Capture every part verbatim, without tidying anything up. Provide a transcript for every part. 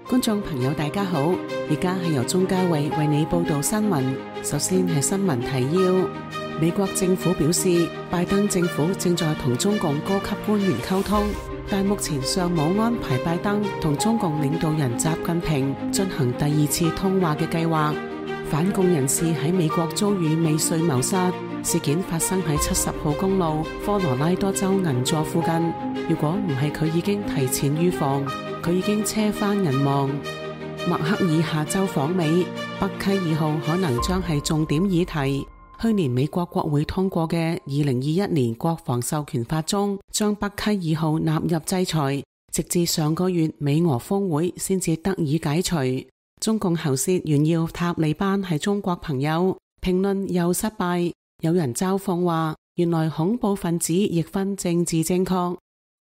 觀眾朋友大家好，而家係由鍾嘉慧為你報道新聞。首先係新聞提要。美國政府表示，拜登政府正在同中共高級官員溝通，但目前尚冇安排拜登同中共領導人習近平進行第二次通話嘅計劃。反共人士喺美國遭遇未遂謀殺，事件發生喺七十號公路科羅拉多州銀座附近。如果唔係佢已經提前預防，佢已經車翻人亡。默克爾下周訪美，北溪二號可能將係重點議題。去年美國國會通過嘅二零二一年國防授權法中，將北溪二號納入制裁，直至上個月美俄峰會先至得以解除。中共喉舌炫耀塔利班係中國朋友，評論又失敗。有人嘲諷話，原來恐怖分子亦分政治正確。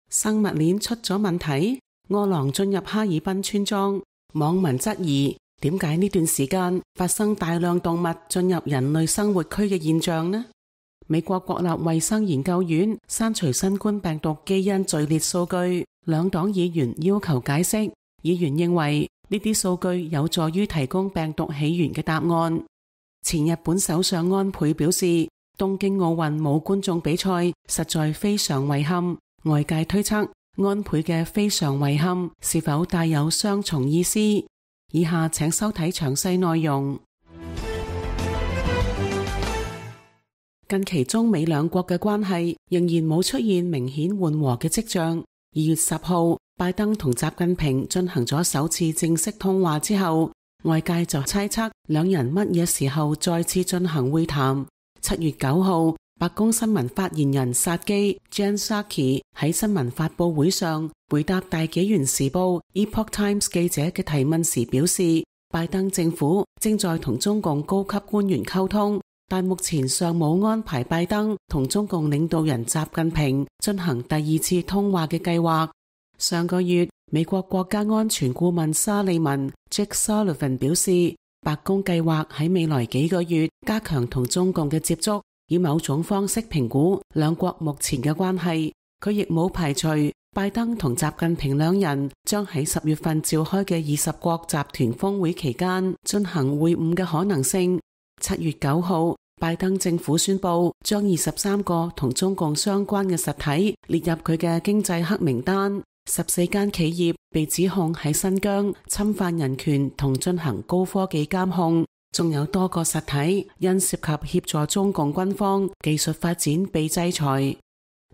生物鏈出咗問題，餓狼進入哈爾濱村莊，網民質疑點解呢段時間發生大量動物進入人類生活區嘅現象呢？美國國立衛生研究院刪除新冠病毒基因序列數據，兩黨議員要求解釋。議員認為呢啲數據有助於提供病毒起源嘅答案。前日本首相安倍表示，東京奧運冇觀眾比賽，實在非常遺憾。外界推測安倍嘅非常遺憾是否帶有雙重意思？以下請收睇詳細內容。近期中美兩國嘅關係仍然冇出現明顯緩和嘅跡象。二月十號，拜登同習近平進行咗首次正式通話之後，外界就猜測兩人乜嘢時候再次進行會談。七月九號，白宮新聞發言人薩基 Jen Psaki 喺新聞發佈會上回答大紀元時報 Epoch Times 記者嘅提問時表示，拜登政府正在同中共高級官員溝通，但目前尚冇安排拜登同中共領導人習近平進行第二次通話嘅計劃。上個月，美國國家安全顧問沙利文 Jake Sullivan 表示，白宮計劃喺未來幾個月加強同中共嘅接觸，以某種方式評估兩國目前嘅關係。佢亦冇排除拜登同習近平兩人將喺十月份召開嘅二十國集團峰會期間進行會晤嘅可能性。七月九號，拜登政府宣布將二十三個同中共相關嘅實體列入佢嘅經濟黑名單，十四間企業被指控喺新疆侵犯人權同進行高科技監控。仲有多個實體因涉及協助中共軍方技術發展被制裁。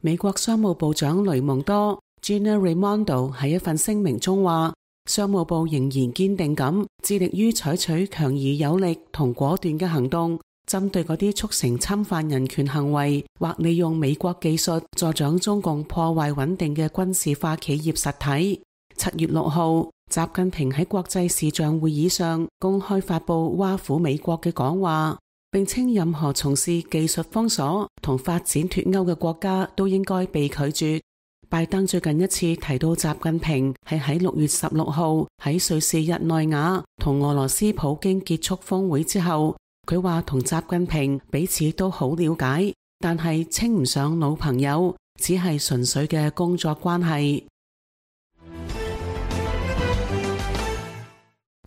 美國商務部長雷蒙多 Gina Raimondo 喺一份聲明中話，商務部仍然堅定咁致力於採取強而有力同果斷嘅行動，針對嗰啲促成侵犯人權行為或利用美國技術助長中共破壞穩定嘅軍事化企業實體。七月六號，習近平喺國際視像會議上公開發布挖苦美國嘅講話，並稱任何從事技術封鎖同發展脫鈎嘅國家都應該被拒絕。拜登最近一次提到習近平係喺六月十六號喺瑞士日內瓦同俄羅斯普京結束峰會之後，佢話同習近平彼此都好了解，但係稱唔上老朋友，只係純粹嘅工作關係。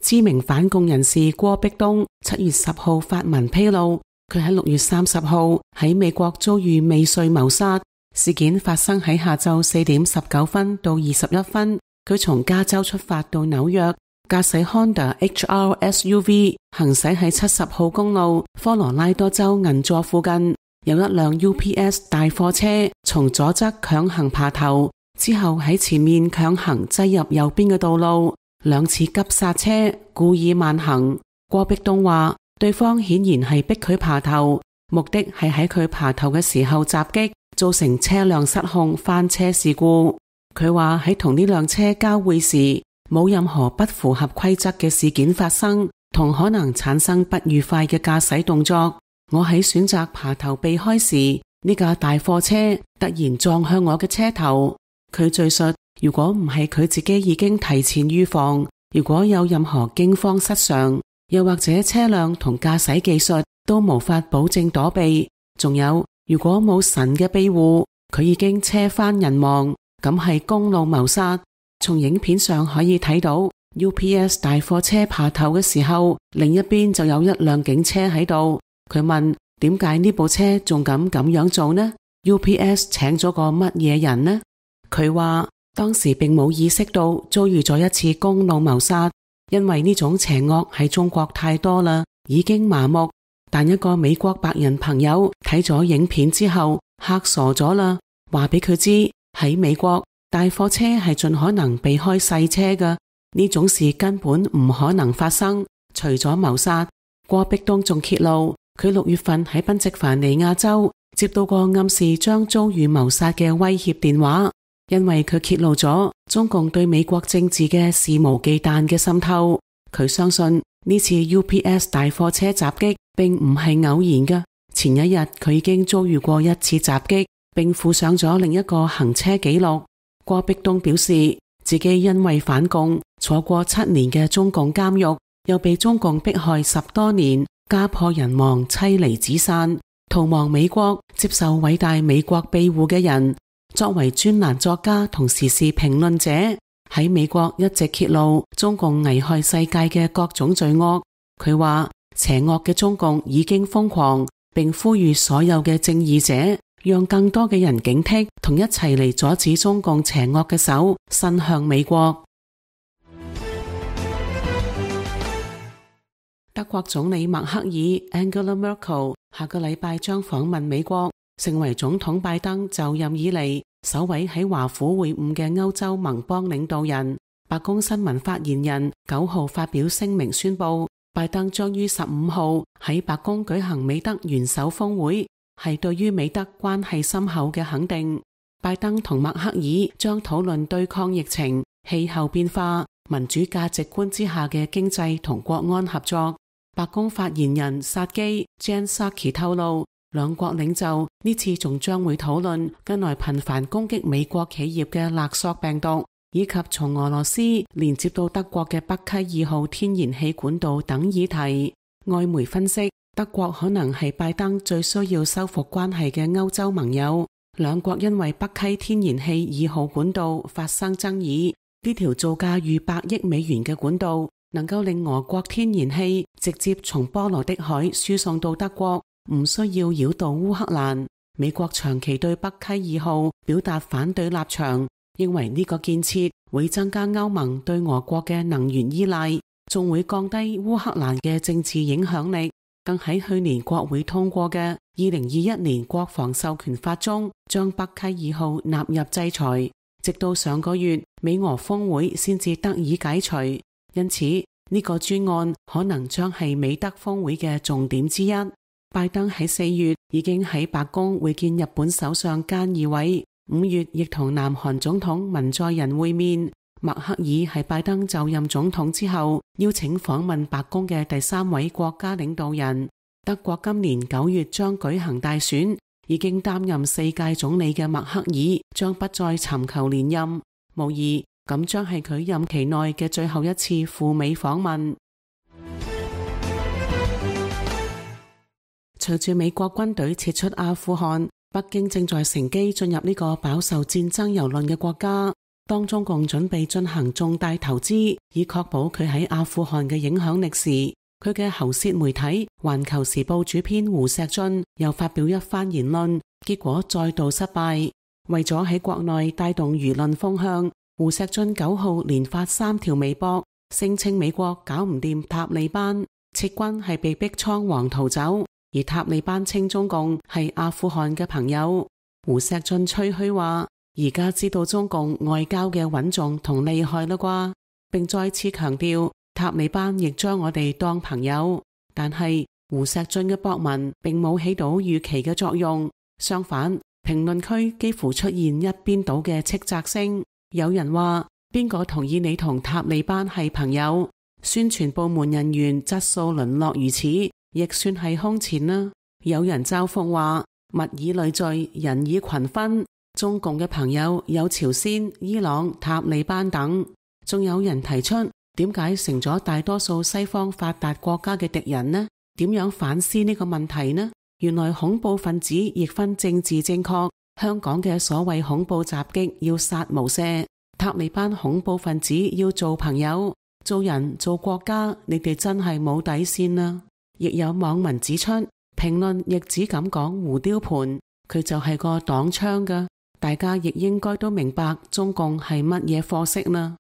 知名反共人士郭碧東七月十號發文披露，佢喺六月三十號喺美國遭遇未遂謀殺，事件發生喺下晝四點十九分到二十一分。佢從加州出發到紐約，駕駛 Honda H R S U V 行駛喺七十號公路科羅拉多州銀座附近，有一輛 U P S 大貨車從左側強行爬頭，之後喺前面強行擠入右邊嘅道路。兩次急剎車，故意慢行。郭碧東話，對方顯然係逼佢爬頭，目的係喺佢爬頭嘅時候襲擊，造成車輛失控翻車事故。佢話喺同呢輛車交匯時，冇任何不符合規則嘅事件發生，同可能產生不愉快嘅駕駛動作。我喺選擇爬頭避開時，呢架大貨車突然撞向我嘅車頭。佢敘述，如果唔係佢自己已經提前預防，如果有任何驚慌失常，又或者車輛同駕駛技術都無法保證躲避，仲有如果冇神嘅庇護，佢已經車翻人亡，咁係公路謀殺。從影片上可以睇到 U P S 大貨車爬頭嘅時候，另一邊就有一輛警車喺度。佢問點解呢部車仲敢咁樣做呢？ U P S 請咗個乜嘢人呢？佢話當時並冇意識到遭遇咗一次公路謀殺，因為呢種邪惡喺中國太多啦，已經麻木。但一個美國白人朋友睇咗影片之後嚇傻咗啦，話俾佢知喺美國大貨車係盡可能避開細車嘅，呢種事根本唔可能發生。除咗謀殺，郭碧東仲揭露佢六月份喺賓夕凡尼亞州接到個暗示將遭遇謀殺嘅威脅電話，因為佢揭露咗中共對美國政治嘅肆無忌憚嘅滲透。佢相信呢次 U P S 大貨車襲擊並唔係偶然嘅，前一日佢已經遭遇過一次襲擊，並附上咗另一個行車記錄。郭碧東表示自己因為反共坐過七年嘅中共監獄，又被中共迫害十多年，家破人亡，妻離子散，逃亡美國，接受偉大美國庇護嘅人，作為專欄作家同時事評論者，喺美國一直揭露中共危害世界嘅各種罪惡。佢話邪惡嘅中共已經瘋狂，並呼籲所有嘅正義者讓更多嘅人警惕，同一齊嚟阻止中共邪惡嘅手伸向美國。德國總理默克爾 Angela Merkel 下個禮拜將訪問美國，成為總統拜登就任以嚟首位喺華府會晤嘅歐洲盟邦領導人。白宮新聞發言人九號發表聲明宣布，拜登將於十五號喺白宮舉行美德元首峰會，係對於美德關係深厚嘅肯定。拜登同默克爾將討論對抗疫情、氣候變化、民主價值觀之下嘅經濟同國安合作。白宮發言人薩基 Jen Psaki 透露，兩國領袖呢次仲將會討論近來頻繁攻擊美國企業嘅勒索病毒，以及從俄羅斯連接到德國嘅北溪二號天然氣管道等議題。外媒分析，德國可能係拜登最需要修復關係嘅歐洲盟友。兩國因為北溪天然氣二號管道發生爭議，呢條造價逾百億美元嘅管道能夠令俄國天然氣直接從波羅的海輸送到德國，唔需要繞道烏克蘭。美國長期對北溪二號表達反對立場，認為呢個建設會增加歐盟對俄國嘅能源依賴，仲會降低烏克蘭嘅政治影響力。更喺去年國會通過嘅二零二一年國防授權法中，將北溪二號納入制裁，直到上個月美俄峰會先至得以解除。因此呢個專案可能將係美德峰會嘅重點之一。拜登喺四月已經喺白宮會見日本首相菅義偉，五月亦同南韓總統文在寅會面。默克爾係拜登就任總統之後邀請訪問白宮嘅第三位國家領導人。德國今年九月將舉行大選，已經擔任四屆總理嘅默克爾將不再尋求連任，無疑咁將係佢任期內嘅最後一次赴美訪問。隨住美國軍隊撤出阿富汗，北京正在乘機進入呢個飽受戰爭蹂躪嘅國家。當中共準備進行重大投資，以確保佢喺阿富汗嘅影響力時，佢嘅喉舌媒體《環球時報》主編胡錫進又發表一番言論，結果再度失敗。為咗喺國內帶動輿論風向，胡錫進九號連發三條微博，聲稱美國搞唔掂塔利班，撤軍係被逼倉皇逃走，而塔利班稱中共係阿富汗嘅朋友。胡錫進吹噓話，而家知道中共外交嘅穩重同厲害啦啩，並再次強調塔利班亦將我哋當朋友。但係胡錫進嘅博文並冇起到預期嘅作用，相反，評論區幾乎出現一邊倒嘅斥責聲。有人話，邊個同意你同塔利班係朋友？宣傳部門人員質素淪落如此，亦算係空前啦。有人嘲諷話，物以類聚，人以群分。中共嘅朋友有朝鮮、伊朗、塔利班等，仲有人提出點解成咗大多數西方發達國家嘅敵人呢？點樣反思呢個問題呢？原來恐怖分子亦分政治正確香港嘅所謂恐怖襲擊要殺無赦，塔利班恐怖分子要做朋友、做人、做國家，你哋真係冇底線啦。亦有網民指出，評論亦只敢講胡雕盤，佢就係個擋槍㗎，大家亦應該都明白中共係乜嘢貨色啦。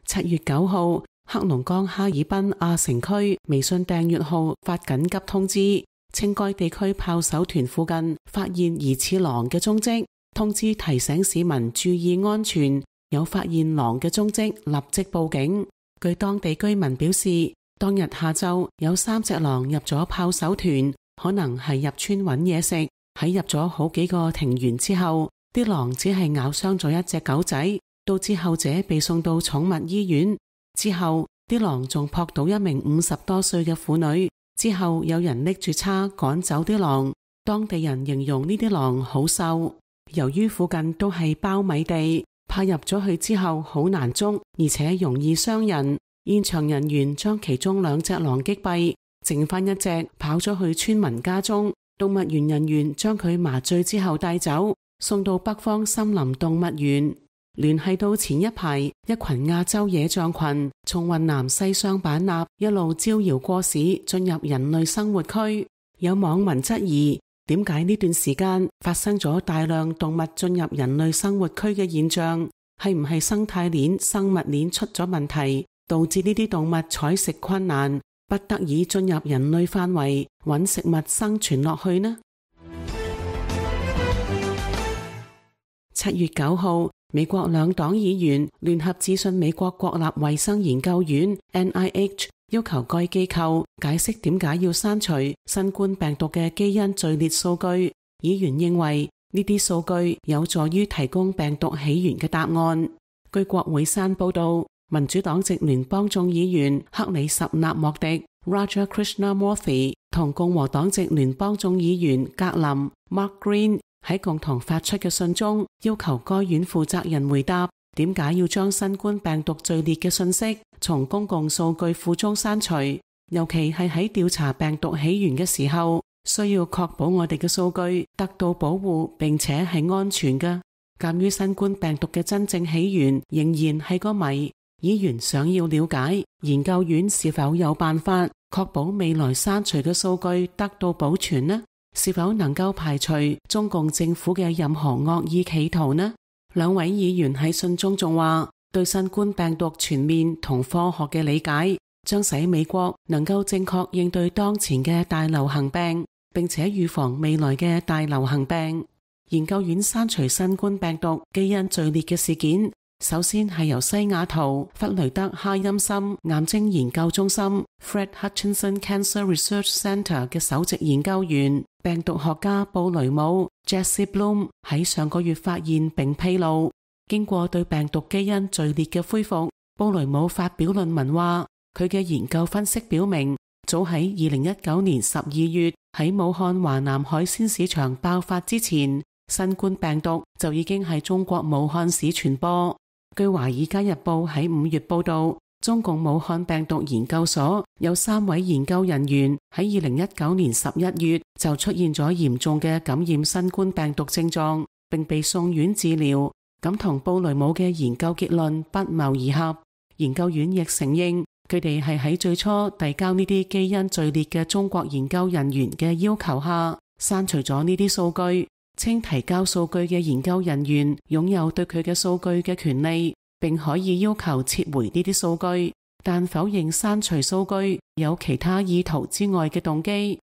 七月九號，黑龍江哈爾濱亞城區微信訂閱號發緊急通知，稱該地區炮手團附近發現疑似狼嘅蹤跡，通知提醒市民注意安全，有發現狼嘅蹤跡立即報警。據當地居民表示，當日下晝有三隻狼入咗炮手團，可能係入村揾嘢食。喺入咗好幾個庭園之後，啲狼只係咬傷咗一隻狗仔，導致後者被送到寵物醫院。之後啲狼仲撲倒一名五十多歲嘅婦女，之後有人拎住叉趕走啲狼。當地人形容呢啲狼好瘦，由於附近都係苞米地，怕入咗去之後好難捉，而且容易傷人。現場人員將其中兩隻狼擊斃，剩翻一隻跑咗去村民家中。動物園人員將佢麻醉之後帶走，送到北方森林動物園。聯繫到前一排一群亞洲野象群從雲南西雙版納一路招搖過市進入人類生活區，有網民質疑點解呢段時間發生咗大量動物進入人類生活區嘅現象，係唔係生態鏈生物鏈出咗問題，導致呢啲動物採食困難，不得已進入人類範圍揾食物生存落去呢？七月九號，美國兩黨議員聯合致信美國國立衛生研究院 N I H， 要求該機構解釋點解要刪除新冠病毒嘅基因序列數據。議員認為呢啲數據有助於提供病毒起源嘅答案。據國會山報道，民主黨籍聯邦眾議員克里什納莫迪 Raja Krishnamurthy 同共和黨籍聯邦眾議員格林 Mark Green喺共同發出嘅信中，要求該院負責人回答點解要將新冠病毒序列嘅信息從公共數據庫中刪除，尤其係喺調查病毒起源嘅時候，需要確保我哋嘅數據得到保護並且係安全嘅。鑒於新冠病毒嘅真正起源仍然係個謎，議員想要了解研究院是否有辦法確保未來刪除嘅數據得到保存呢？是否能夠排除中共政府嘅任何惡意企圖呢？兩位議員喺信中仲話，對新冠病毒全面同科學嘅理解，將使美國能夠正確應對當前嘅大流行病，並且預防未來嘅大流行病。研究院刪除新冠病毒基因序列嘅事件，首先係由西雅圖弗雷德哈欽森癌症研究中心 Fred Hutchinson Cancer Research Center 嘅首席研究員病毒學家布雷姆 Jesse Bloom 喺上個月發現並披露，經過對病毒基因序列嘅恢復，布雷姆發表論文話，佢嘅研究分析表明，早喺二零一九年十二月喺武漢華南海鮮市場爆發之前，新冠病毒就已經喺中國武漢市傳播。據華爾街日報喺五月報道，中共武漢病毒研究所有三位研究人員喺二零一九年十一月就出現咗嚴重嘅感染新冠病毒症狀，並被送院治療，咁同布雷姆嘅研究結論不謀而合。研究院亦承認，佢哋係喺最初遞交呢啲基因序列嘅中國研究人員嘅要求下，刪除咗呢啲數據，稱提交數據嘅研究人員擁有對佢嘅數據嘅權利，並可以要求撤回呢啲數據，但否認刪除數據有其他意圖之外嘅動機。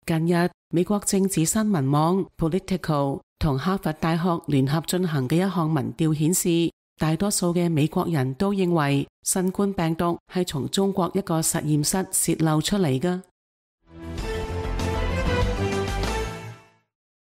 近日，美國政治新聞網 Politico 同哈佛大學聯合進行嘅一項民調顯示，大多數嘅美國人都認為新冠病毒係從中國一個實驗室洩漏出嚟嘅。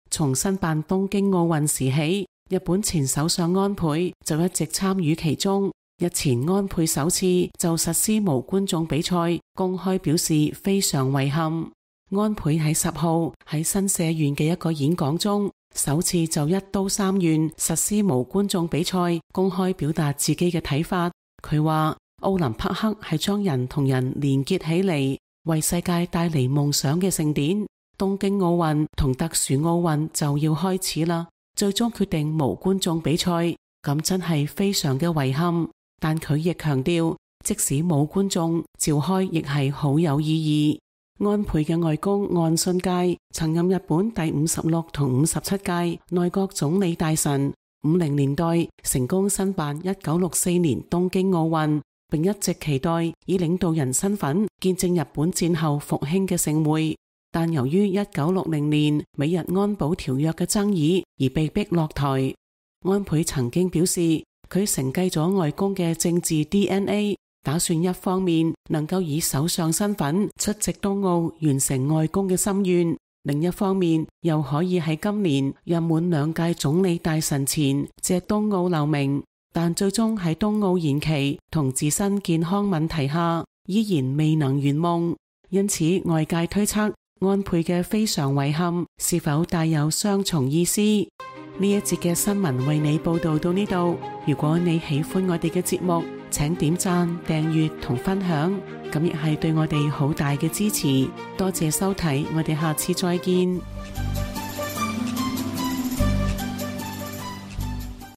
從申辦東京奧運時起，日本前首相安倍就一直參與其中。日前安倍首次就實施無觀眾比賽，公開表示非常遺憾。安倍喺十號喺新社縣嘅一個演講中，首次就一都三縣實施無觀眾比賽，公開表達自己嘅睇法。佢話奧林匹克係將人同人連結起嚟，為世界帶嚟夢想嘅盛典。東京奧運同特殊奧運就要開始啦，最終決定無觀眾比賽，咁真係非常嘅遺憾。但佢亦強調，即使冇觀眾，召開亦係好有意義。安倍嘅外公岸信介曾任日本第五十六同五十七屆內閣總理大臣，五零年代成功申辦一九六四年東京奧運，並一直期待以領導人身份見證日本戰後復興嘅盛會。但由於一九六零年美日安保條約嘅爭議而被逼落台。安倍曾經表示，佢承繼咗外公嘅政治 D N A， 打算一方面能夠以首相身份出席東奧，完成外公嘅心願，另一方面又可以喺今年任滿兩屆總理大臣前借東奧留名。但最終喺東奧延期同自身健康問題下，依然未能圓夢。因此外界推測，安倍嘅非常遺憾是否帶有雙重意思？呢一節嘅新聞為你報道到呢度。如果你喜歡我哋嘅節目，請點讚、訂閱同分享，咁亦係對我哋好大嘅支持。多謝收睇，我哋下次再見。